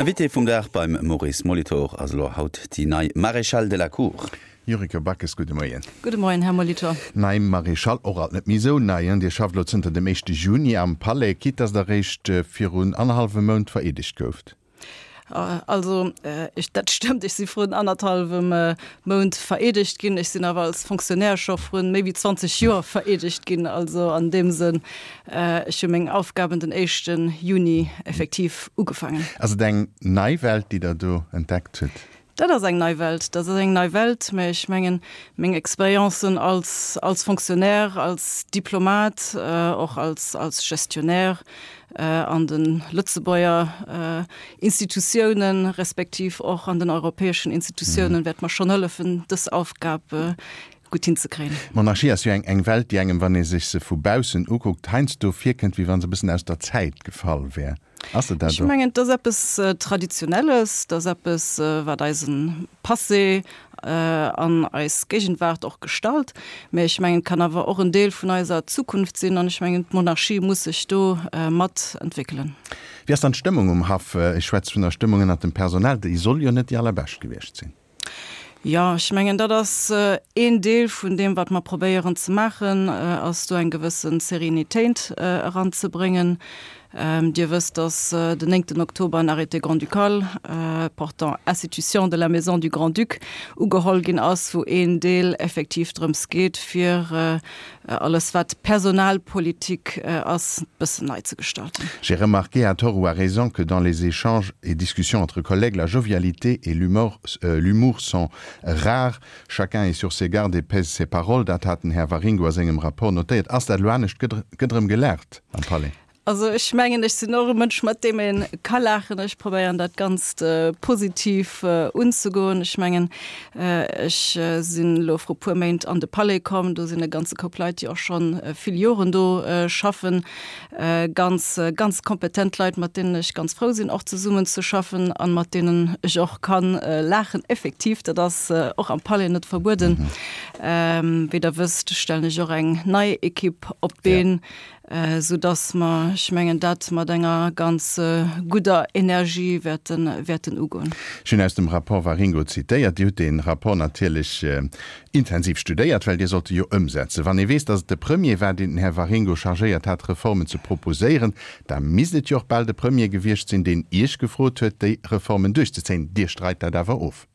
Invité vum Dag beim Maurice Molitor ass elo haut déi nei Maréchale de la Cour. Yuriko Backes, gudde Moien. Gudde Moien, Här Molitor. Nei Maréchale, och alt net méi esou nei, hein? Dir schafft elo zënter dem éischte Juni am Palais, quitte dass Der eréischt virun annerhallwem Mount vereedegt gouft. Also, dat stëmmt, ech si vrun annerthallwem Mount vereedegt ginn. Ech sinn awer als Fonctionnaire scho vrun méi wéi 20 Joer vereedegt ginn. Also an deem Sënn, ech hu meng Aufgaben den éischte Juni effektiv ugefaangen. Ass et eng nei Welt, déi Der do entdeckt hutt? Dat ass eng nei Welt, dat ass eng nei Welt, mä ech mengen, meng Expériencen als, als Fonctionnaire, als Diplomat, och als, als Gestionnaire an de Lëtzebuerger Institutiounen, respektiv och an den europäeschen Institutiounen, wäert mer schonn hëllefen, dës Aufgab gutt hinzekréien. D'Monarchie ass jo eng, eng Welt, déi engem, wann ee sech se vu baussen ukuckt, heiansdo virkënnt, wéi wa se e bëssen aus der Zäit gefall wär. Ass se dat och? Ech mengen, et ass eppes Traditionelles, et ass eppes, wat eise Passé an eis Géigenwaart och gestalt. Mä ech mengen, et kann awer och en Deel vun eiser Zukunft sinn an ech mengen, d'Monarchie muss sech do mat entwéckelen. Wéi ass dann d'Stëmmung um Haff? Ech schwätze vun der Stëmmung ënnert dem Personal, déi soll jo net déi allerbescht gewiescht sinn. Jo, ech mengen, dat ass een Deel vun deem, wat mer probéieren ze maachen, ass do eng gewësse Serenitéit eranzebréngen. Dir wësst, dass den néngten Oktober en Arrêté grand-ducal portant institution de la Maison du Grand-Duc ugeholl ginn ass, wou een Deel effektiv drëms geet, fir alles wat Personalpolitik ass, e bëssen nei ze gestalten. J'ai remarqué à tort ou à raison que dans les échanges et discussions entre collègues, la jovialité et l'humour sont rares. Chacun est sur ses gardes et pèse ses paroles. Dat hat den Här Waringo a sengem Rapport notéiert. Ass dat elo anescht? Gëtt erëm gelaacht am Palais? Also ech mengen, ech sinn och e Mënsch, mat deem ee ka laachen. Ech probéieren dat Ganzt positiv unzegoen. Ech mengen, ech sinn elo vru puer Méint an de Palais komm. Do sinn e ganze Koup Leit, déi och scho vill Joren do schaffen. Ganz, ganz kompetent Leit, mat deenen ech ganz frou sinn och zesummen ze schaffen an mat deenen ech och kann laachen. Effektiv, dat ass och am Palais net verbueden. Wéi Der wësst, stellen ech och eng nei Ekipp op d'Been. Sou dass mer, ech mengen, dat mat enger ganz gudder Energie wäerten, wäerten ugoen. Ech hunn aus dem Rapport Waringo zitéiert. Dir hutt dee Rapport natierlech intensiv studéiert, well Dir sollt e jo ëmsetzen. Wann ee weess, dass et de Premier war, deen den Här Waringo chargéiert hat, Reformen ze proposéieren, da misst et jo och bal de Premier gewiescht sinn, deen Iech gefrot huet, déi Reformen duerchzezéien. Dir streit dat awer of.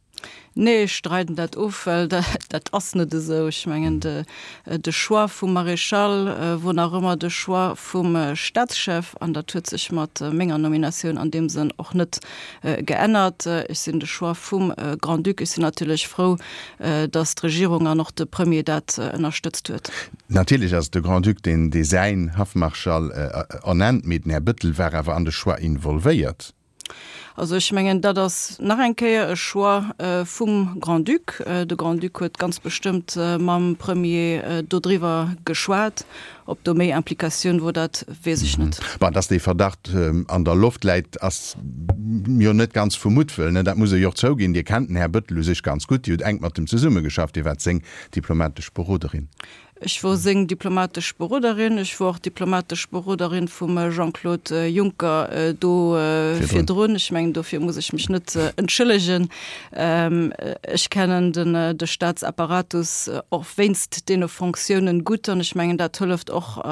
Nee, ech streiden dat of, well dat ass net esou. Ech mengen, de Choix vum Maréchal wor nach ëmmer de Choix vum Staatschef an dat huet sech mat menger Nominatioun an deem Sënn och net geännert. Ech sinn de Choix vum Grand-Duc. Ech sinn natierlech frou, datt d'Regierung an och de Premier dat ënnerstëtzt huet. Natierlech ass et de Grand-Duc, deen dee säin Haffmarschall ernennt, mee den Här Bettel war awer an de Choix involvéiert. Also ech mengen, dat ass nach eng Kéier e Choix vum Grand-Duc. De Grand-Duc huet ganz bestëmmt mam Premier dodriwwer geschwat. Ob do méi Implikatioun wor, dat weess ech net. Bon, dass dee Verdacht an der Loft läit, ass jo net ganz vu Muttwëll, ne? Dat muss ee jo och zouginn. Dir kennt den Här Bettel u sech ganz gutt. Dir hutt enk mat em zesummegeschafft. Dir waart seng diplomatesch Beroderin. Ech wor seng diplomatesch Beroderin. Ech wor och diplomatesch Beroderin vum Jean-Claude Juncker do virdrun. Ech mengen, dofir muss ech mech net entschëllegen. Ech kennen de Staatsapparatus och wéinst deene Fonctiounen gutt an ech mengen, dat hëlleft och,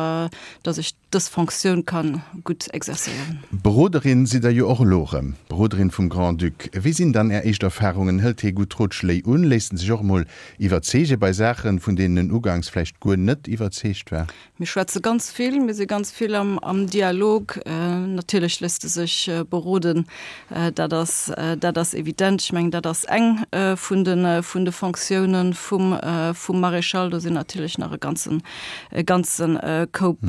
datt ech dës Fonctioun ka gutt exercéieren. Beroderin sidd Der jo och elo erëm, Beroderin vum Grand-Duc. Wéi sinn dann Är éischt Erfarungen? Hëlt hie gutt Rotschléi un? Léisst en sech och emol iwwerzeege bei Saachen, vun deenen en uganks vläicht guer net iwwerzeegt war? Mir schwätze ganz vill, mir si ganz vill am Dialog. Natierlech léisst e sech beroden, dat ass, dat ass evident. Ech mengen, dat ass eng vun de, vun de Fonctiounen vum, vum Maréchal. Do sinn natierlech nach e ganzen e ganze Koup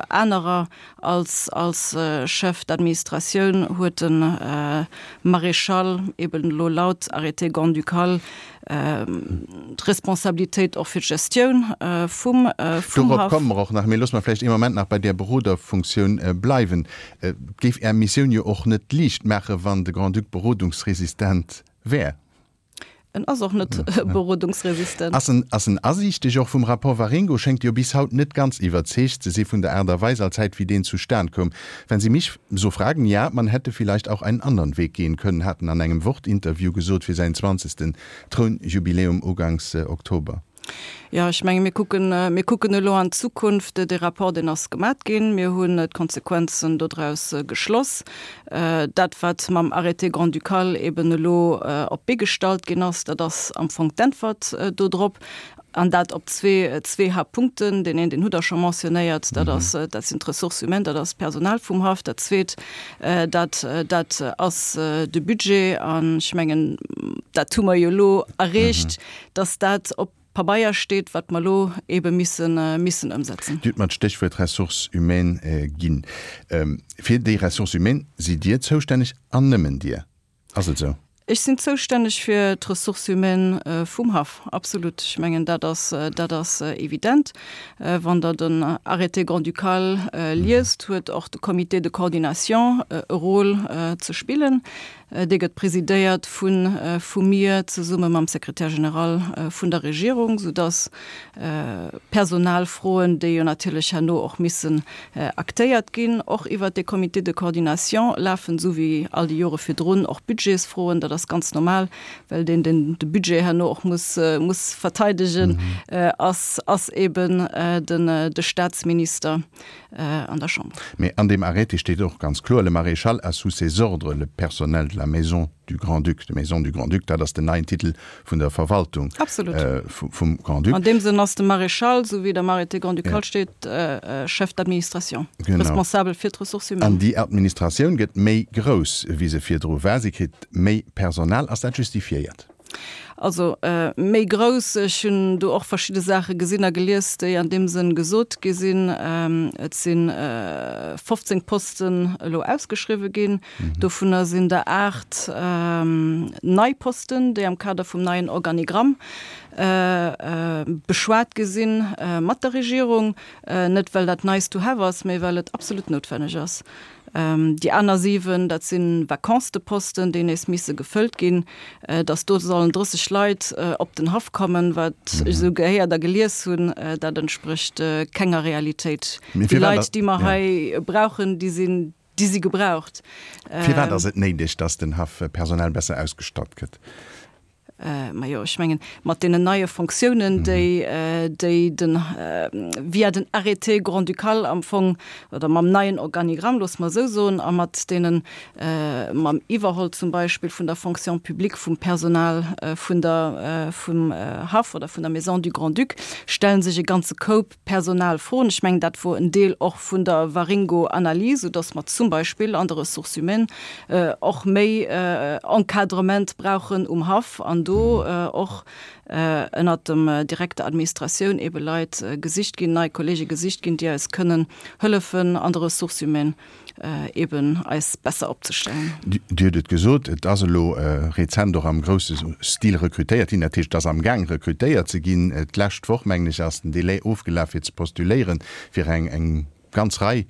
anerer. Als als Chef d'administratioun huet de Maréchal eben elo laut Arrêté grand-ducal d'Responsabilitéit och fir d'Gestioun vum vum Dorop Haff. komme mer och nach, mee loosse mer vläicht ee Moment nach bei där Beroderfunktioun bleiwen. Et géif Är Missioun jo och net liicht maachen, wann de Grand-Duc berodungsresistent wär. En ass och net berodungsresistent. Ass en, ass en asiichteg? Och vum Rapport Waringo schéngt jo bis haut net ganz iwwerzeegt ze si vun der Aart a Weis allzäit wéi deen zustan koum. Wenn Sie mich so fragen, ja, man hätte vielleicht auch einen anderen Weg gehen können, hat en an engem Wort-Interview gesot fir säin zwanzegsten Trounjubiläum uganks Oktober. Jo, ech menge mir kucken, mir kucken elo an d'Zukunft. Dee Rapport, deen ass gemat ginn. Mir hunn d'Konsequenzen dodraus geschloss. Dat, wat mam Arrêté grand-ducal eben elo op d'Bee gestallt ginn ass, dat ass am Fong d'Äntwert dodrop. An dat op zwee, zwee Haaptpunkten. Deen een, deen hutt Der scho mentionnéiert, dat ass, dat sinn d'Ressources humaines, dat ass d'Personal vum Haff. Dat Zweet, dat, dat ass de Budget. An ech mengen, dat hu mer jo elo erreecht, dass dat op Pabeier steet, wat mer elo eebe missen, missen ëmsetzen. Dir hutt mer d'Stéchwuert Ressources humaines ginn. Fir déi Ressources humaines sidd Dir zoustänneg an nëmmen Dir. Ass et esou? Ech sinn zoustänneg fir d'Ressources humaines vum Haff, absolut. Ech mengen, dat ass, dat ass evident. Wann Der den Arrêté grand-ducal liest, huet och de Comité de coordination e Rôle ze spillen. Dee gëtt presidéiert vu vu mir zesumme mam Secrétaire général vun der Regierung, soudass Personalfroen, déi jo natierlech herno och missen aktéiert ginn, och iwwert dee Comité de coordination lafen, esou wéi all déi Jore virdrun och Budgetsfroen. Dat ass ganz normal, well deen, deen de Budget herno och muss muss verteidegen, ass ass eeben den de Statsminister. An der Chamber. Mee an deem Arrêté steet och ganz kloer, Le Maréchal a sous ses ordres le personnel de la Maison du Grand-Duc. De Maison du Grand-Duc, dat ass den neien Titel vun der Verwaltung vum Grand-Duc. An deem Sënn ass de Maréchal, esou wéi et am Arrêté grand-ducal steet, Chef d'administration, responsabel fir d'Ressources humaines. An déi Administratioun gëtt méi grouss, wéi se virdru war. Si kritt méi Personal. Ass dat justifiéiert? Also méi grouss. Ech hunn do och verschidde Saache gesinn a gelies, déi an deem Sënn gesot gi sinn. Et si 15 Posten elo ausgeschriwwe ginn. Dovunner sinn der 8 nei Posten, déi am Kader vum neien Organigramm beschwat gi sinn mat der Regierung. Net well dat nice to have ass, mee well et absolut noutwenneg ass. Déi aner 7, dat si Vacances-de-posten, déi nees misse gefëllt ginn. Datt do sollen 30 Leit op den Haff kommen, wat ech esou gehéiert a gelies hunn, dat entsprécht kenger Realitéit. Déi Leit, déi mer hei brauchen, déi sinn, déi si gebraucht. Firwat ass et néideg, datt den Haff personell besser ausgestatt gëtt? Majo, ech mengen, mat deenen neie Fonctiounen, déi, déi den, via den Arrêté grand-ducal am Fong, oder mam neien Organigramm, loosse mer esou soen, a mat deenen, mam Iwwerholl zum Beispill vun der Fonction publique, vum Personal vun der, vum Haff oder vun der Maison du Grand-Duc, stelle sech e ganze Koup Personalfroen. Ech mengen, dat wor en Deel och vun der Waringo-Analys, soudass mer zum Beispill an de Ressources humaines och méi Encadrement brauchen um Haff an do och ënnert dem direkter Administratioun eebe Leit gesicht ginn, nei Kollege gesicht ginn, déi eis kënnen hëllefen an de Ressources humaines. eben eis besser opzestellen. Dir hutt et gesot, et ass elo rezent och am grousse Stil rekrutéiert ginn, dat heescht, et ass amgaang rekrutéiert ze ginn. D'lescht Woch, mengen ech, ass den Delai ofgelaf fir ze postuléieren fir eng ganz Rei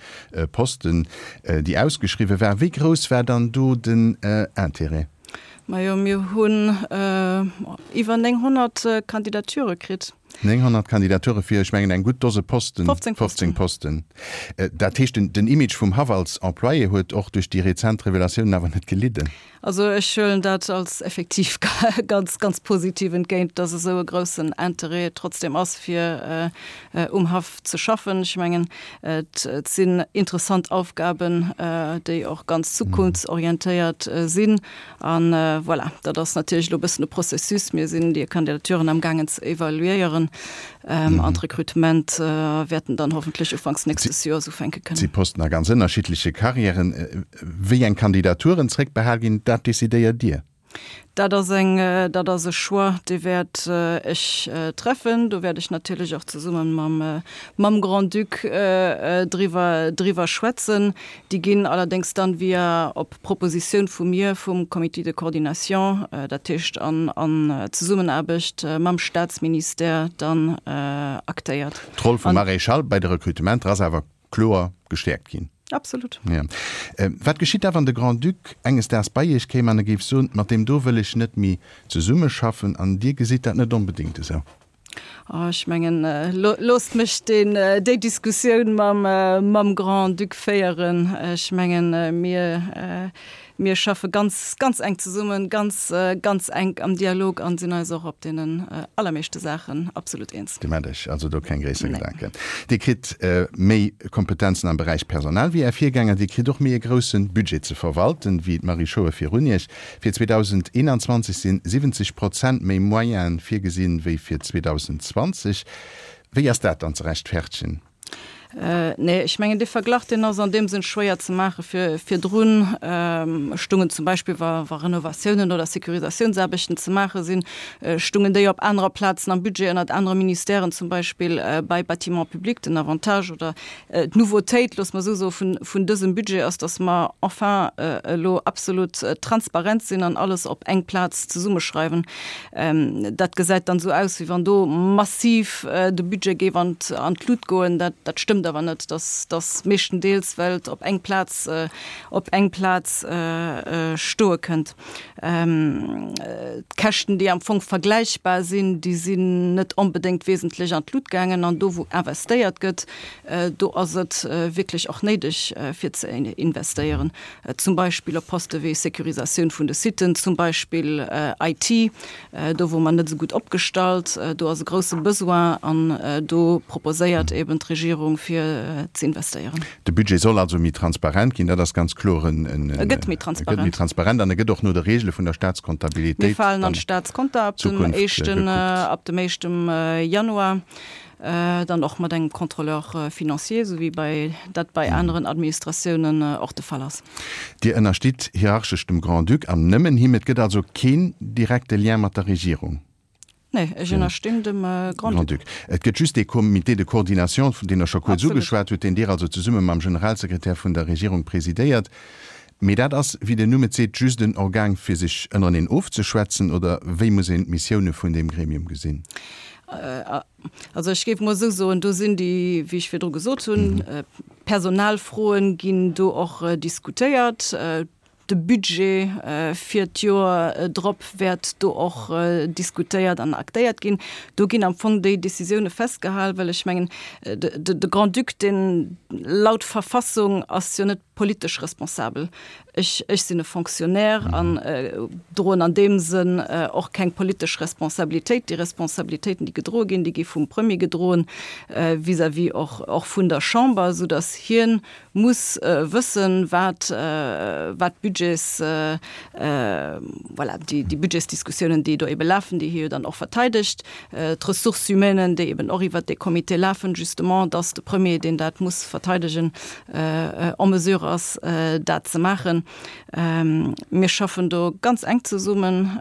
Posten, déi ausgeschriwwe waren. Wéi grouss war dann do den Intérêt? Majo, mir hunn iwwer 900 Kandidature kritt. 900 Kandidature fir, ech mengen, eng gutt Dose Posten, 15 Posten. Posten. Dat heescht, den Image vum Haff als Employé huet och duerch déi rezent Revelatiounen awer net gelidden? Also ech huelen dat als effektiv ganz, ganz positiv entgéint, dass esou e groussen Interêt trotzdem ass, fir um Haff ze schaffen. Ech mengen, et sinn interessant Aufgaben, déi och ganz zukunftsorientéiert sinn. A voilà, dat ass natierlech elo e bëssen e Processus. Mir sinn déi Kandidaturen amgaangen ze evaluéieren an d'Rekrutement wäerten dann hoffentlech ufanks nächstes Joers ufänke kënnen. Si posten a ganz ënnerschiddleche Karriären. Wéi eng Kandidaturen zréckbehal ginn, dat decidéiert Dir? Dat ass eng, dat ass e Choix, dee wäert ech treffen. Do wäert ech natierlech och zesumme mam, mam Grand-Duc driwwer, driwwer schwätzen. Déi ginn allerdéngs dann via, op Propositioun vu mir, vum Comité de coordination, dat heescht an an Zesummenaarbecht mam Staatsministère dann aktéiert. D'Roll vum Maréchal bei de Rekrutementer ass awer kloer gestäerkt ginn. Absolut. Ja. Wat geschitt da, wann de Grand-Duc enges Daags bei Iech kéim an e géif soen, mat deem do wëll ech net méi zesummeschaffen an Dir gesitt dat net onbedéngt esou? Oh, ech mengen, loosst mech deen, déi Diskussioun mam, mam Grand-Duc féieren. Ech mengen, mir, mir schaffe ganz, ganz enk zesummen, ganz, ganz enk am Dialog an sinn eis och op deenen allermeeschte Saachen absolut eens. Dir maacht Iech also do keng gréisser Gedanken. Dir kritt méi Kompetenzen am Beräich Personal wéi Är Virgänger. Dir kritt och méi e grousse Budget ze verwalten wéi d'Marie Schauer virun Iech. Fir 2021 sinn 70 Prozent méi Moyene virgesinn wéi fir 2020. Wéi ass dat dann ze rechtfertegen? Nee, ech mengen dee Verglach, deen ass an deem Sënn schwéier ze maachen. Vir, virdrun stungen zum Beispill, wa, wa Renovatiounen oder Securisatiounsaarbechten ze maache sinn, stungen déi op anerer Plazen am Budget, ënnert anere Ministèren, zum Beispill bei Bâtiments publics. Den Avantage oder D'Nouveautéit, loosse mer esou soen, vun dësem Budget ass, dass mer enfin elo absolut transparent sinn an alles op eng Plaz zesummeschreiwen. Dat gesäit dann esou aus, wéi wann do massiv de Budget géif an d'Lut goen. Dat stëmmt awer net. Dat ass meeschtendeels, well et op eng Plaz, op eng Plaz stoe kënnt. D'Käschten, déi am Fong vergläichbar sinn, déi sinn net onbedéngt wesentlech an d'Lut gaangen. An do, wou investéiert gëtt, do ass et wierklech och néideg, fir ze investéieren, zum Beispill op Poste wéi Securisatioun vun de Siten, zum Beispill IT, do wor mer net esou gutt opgestallt, do ass e grousse Besoin an do proposéiert eben d'Regierung, fir ze investéieren. De Budget soll also méi transparent ginn, dat ass ganz kloer en. E gëtt méi transparent. E gëtt méi transparent an e gëtt och no de Regele vun der Staatskontabilitéit. Mir falen an d'Staatskonta ab dem éischten, ab dem éischtem Januar, dann och mat engem Contrôleur financier, esou wéi bei dat bei aneren Administratiounen och de Fall ass. Dir ënnerstitt hierarchesch dem Grand-Duc an nëmmen him. Et gëtt also keen direkte Lien mat der Regierung? Nee, ech ënnerstinn dem Grand-Duc. Et gëtt just dee Comité de coordination, deen Der scho kuerz ugeschwat hutt, deen Dir also zesumme mam Generalsekretär vun der Regierung presidéiert. Mee dat ass, wéi den Numm et seet, just en Organ, fir sech ënnereneen ofzeschwätzen, oder wéi muss een d'Missioune vun deem Gremium gesinn? Also ech géif emol esou soen, do sinn déi, wéi ech virdru gesot hunn, Personalfroen ginn do och diskutéiert. De Budget fir d'Joer drop wäert do och diskutéiert an aktéiert ginn. Do ginn am Fong déi Décisioune festgehal, well ech mengen, de Grand-Duc, deen laut Verfassung ass jo net politesch responsabel. Ech, ech sinn e Fonctionnaire an droen an deem Sënn och keng politesch Responsabilitéit. Déi Responsabilitéiten, déi gedroe ginn, déi gi vum Premier gedroen vis-à-vis och, och vun der Chamber, soudass hien muss wëssen, wat, wat d'Budgets, voilà, déi, déi Budgetsdiskussiounen, déi do ebe lafen, déi hie jo dann och verteidegt, d'Ressources humaines, déi eben och iwwert dee Comité lafen, justement, dass de Premier, deen dat muss verteidegen, en mesure ass, dat ze maachen. Mir schaffen do ganz enk zesummen.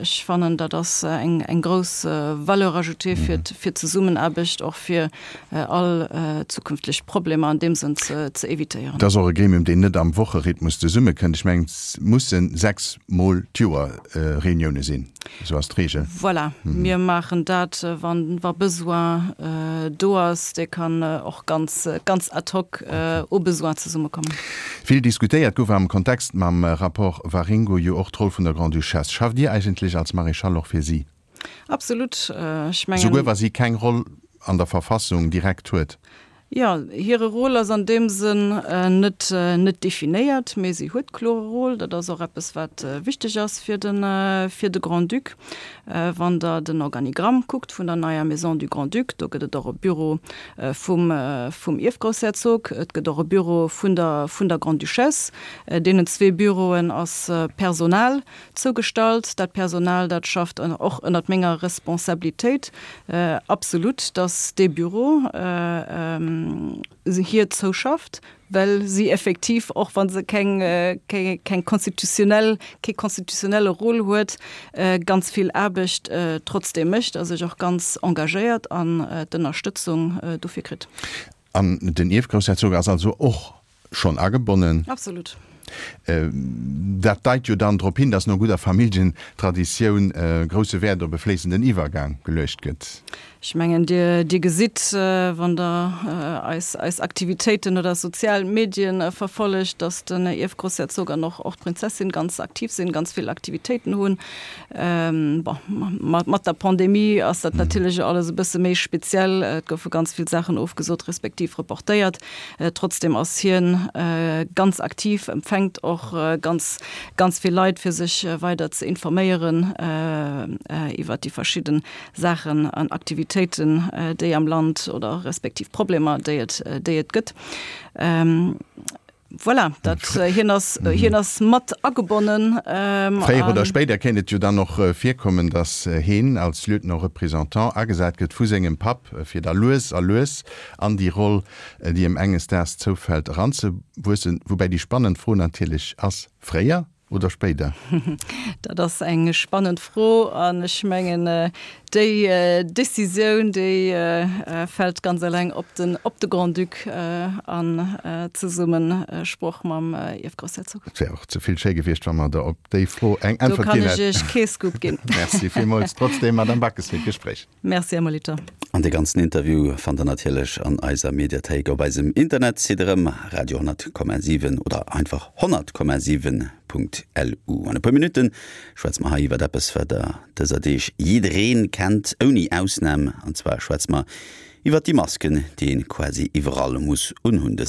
Ech fannen, dat ass eng, eng grouss Valeur ajoutée fir, fir d'Zesummenaarbecht, och fir all zukünftlech Problemer an deem Sënn ze évitéieren. Et ass och e Gremium, deen net am Wocherhythmus zesummekënnt. Ech mengen, et musse 6 Mol d'Joer Reunioune sinn, esou ass d'Regel. Voilà, mir maachen dat, wa Besoin do ass. Dee kann och ganz, ganz ad hoc au besoin zesummekommen. Vill diskutéiert gouf am Kontext mam Rapport Waringo jo och d'Roll vun der Grande-Duchesse. Schafft Dir eigentlech als Maréchale och fir si? Absolut. Ech mengen. Souguer wa si keng Roll an der Verfassung direkt huet? Jo, hire Rôle ass an deem Sënn net, net definéiert, mee si huet kloer e Rôle. Dat ass och eppes, wat wichteg ass fir de, fir de Grand-Duc. Wann Der den Organigramm kuckt vun der neier Maison du Grand-Duc, do gëtt et och e Büro vum, vum Ierfgroussherzog, et gëtt och e Büro vun der, vun der Grande-Duchesse. Deenen zwee Büroen ass Personal Zougestallt. Dat Personal, dat schafft och ënnert menger Responsabilitéit. Absolut, datt dee Büro hir zouschafft, well si effektiv, och wa se keng, keng konstitutionell, kee konstitutionelle Rôle huet, ganz vill Aarbecht trotzdeem mécht a sech och ganz engagéiert an d'Ënnerstëtzung dofir kritt. An den Ierfgroussherzog ass also och schonn agebonnen? Absolut. Dat deit jo dann drop hin, datt no gudder Familljentraditioun grousse Wäert op e fléissenden Iwwergang geluecht gëtt. Ech mengen, Dir, Dir gesitt, wann Der eis, eis Aktivitéiten oder sozial Medien verfollegt, datt den Ierfgroussherzog an och, och d'Prinzessin ganz aktiv sinn, ganz vill Aktivitéiten hunn. Bon, mat, mat der Pandemie ass dat natierlech alles e bësse méi speziell. Et goufe ganz vill Saachen ofgesot respektiv reportéiert. Trotzdem ass hien ganz aktiv, empfänkt och ganz, ganz vill Leit, fir sech weider ze informéieren iwwert déi verschidden Saachen an Aktivitéiten, déi am Land oder respektiv Problemer, déi et, déi et gëtt. Voilà, dat, hien ass, hien ass mat agebonnen. Fréier oder spéider kéint et jo dann och virkommen, datt heen als Lieutenant représentant agesat gëtt vu sengem Papp, fir da lues a lues an déi Roll, déi em enges Daags zoufält, eranzewuessen. Woubäi déi spannend Fro natierlech ass, Fréier oder spéider? Dat ass eng spannend Fro an ech mengen, déi Décisioun, déi fält ganz eleng op den, op de Grand-Duc an Zesummesproch mam Ierfgroussherzog. Et wär och ze vill schéi gewiescht, wa mer der op déi Fro eng Äntwert ginn hätten. Do kann ech Iech kee Scoop ginn. Merci villmools trotzdem, Madame Backes, fir d'Gespréich. Merci, Här Molitor. An dee ganzen Interview fannt der natierlech an eiser Mediathéik op eisem Internetsite erëm, radio 100,7 oder einfach 100,7.lu. An e puer Minutte schwätze mer hei iwwert eppes, wat der dëser Deeg jiddereen kennt, ouni Ausnam, an zwar schwätze mer iwwert déi Masken, déi een quasi iwwerall muss unhunn.